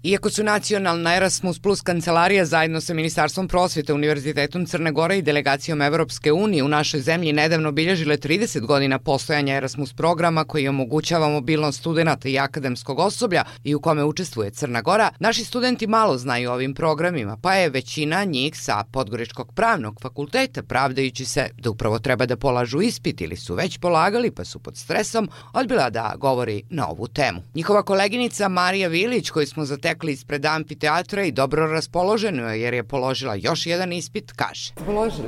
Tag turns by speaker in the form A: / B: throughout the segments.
A: Iako su nacionalna Erasmus Plus kancelarija zajedno sa Ministarstvom prosvete, Univerzitetom Crne Gore i delegacijom Evropske unije u našoj zemlji nedavno obilježile 30 godina postojanja Erasmus programa koji omogućava mobilnost studenata i akademskog osoblja i u kome učestvuje Crna Gora, naši studenti malo znaju o ovim programima, pa je većina njih sa Podgoričkog pravnog fakulteta, pravdajući se da upravo treba da polažu ispit ili su već polagali pa su pod stresom, odbila da govori na ovu temu. Njihova koleginica Marija Vilić, koju smo zatekli ispred amfiteatra i dobro raspoloženo jer je položila još jedan ispit, kaže.
B: Položili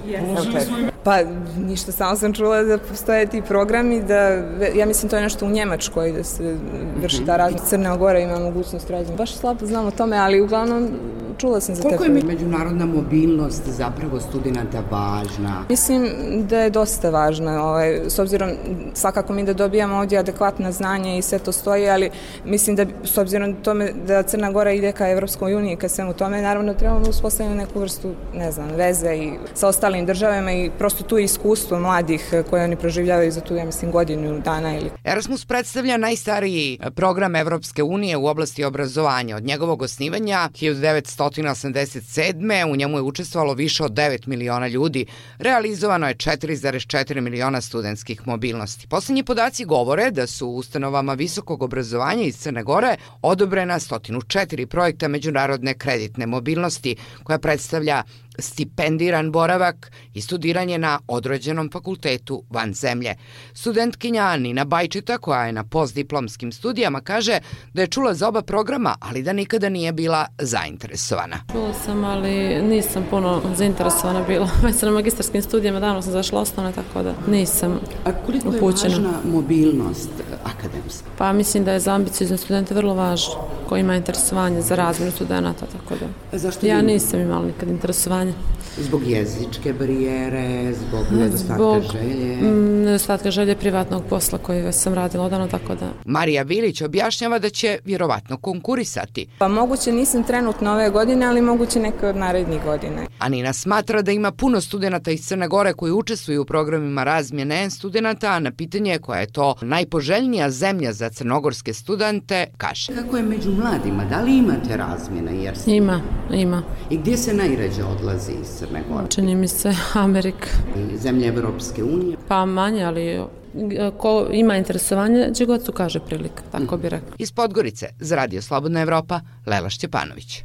B: smo. Pa ništa, samo sam čula da postoje ti programi, ja mislim to je nešto u Njemačkoj da se vrši ta različna. Crna Gora ima mogućnost rađenja. Baš slabo znam o tome, ali uglavnom čula sam za te.
C: Koliko je međunarodna mobilnost zapravo studenta važna?
B: Mislim da je dosta važna, s obzirom svakako mi da dobijamo ovdje adekvatna znanja i sve to stoji, ali mislim da s obzirom tome da Crna Gora ide ka Evropskoj uniji, ka svemu tome, naravno trebamo uspostaviti neku vrstu, veze i sa ostalim državama i prosto tu iskustvo mladih koje oni proživljavaju za tu, ja mislim, godinu dana ili...
A: Erasmus predstavlja najstariji program Evropske unije u oblasti obrazovanja. Od njegovog osnivanja 1987. u njemu je učestvovalo više od 9 miliona ljudi. Realizovano je 4,4 miliona studentskih mobilnosti. Poslednji podaci govore da su u ustanovama visokog obrazovanja iz Crne Gore odobrena 104 projekta međunarodne kreditne mobilnosti, koja predstavlja stipendiran boravak i studiranje na određenom fakultetu van zemlje. Studentkinja Nina Bajčeta, koja je na postdiplomskim studijama, kaže da je čula za oba programa, ali da nikada nije bila zainteresovana.
D: Čula sam, ali nisam puno zainteresovana bila. Već sam na magistarskim studijama, davno sam zašla osnovne, tako da nisam upućena.
C: A koliko je važna mobilnost akademska?
D: Pa mislim da je za ambiciozne studente vrlo važno, koji ima interesovanje za razmjenu studenta, tako da. Ja nisam imala nikad interesovanje.
C: Zbog jezičke barijere, zbog nedostatka želje?
D: Nedostatka želje privatnog posla koji sam radila odavno, tako da.
A: Marija Vilić objašnjava da će vjerovatno konkurisati.
B: Pa moguće nisam trenutno ove godine, ali moguće neke od narednih godine.
A: A Nina smatra da ima puno studenta iz Crne Gore koji učestvuju u programima razmjene studenta, a na pitanje koja je to najpoželjnija zemlja za crnogorske studente, kaže.
C: Kako je među mladima? Da li imate razmjene?
D: Ima.
C: I gdje se najređe odlazi iz Crne Gore?
D: Čini mi se Amerika.
C: I zemlje Evropske unije?
D: Pa manje, ali ko ima interesovanje, gdje god su kaže prilika, tako bi rekla.
A: Iz Podgorice, za Radio Slobodna Evropa, Lela Šćepanović.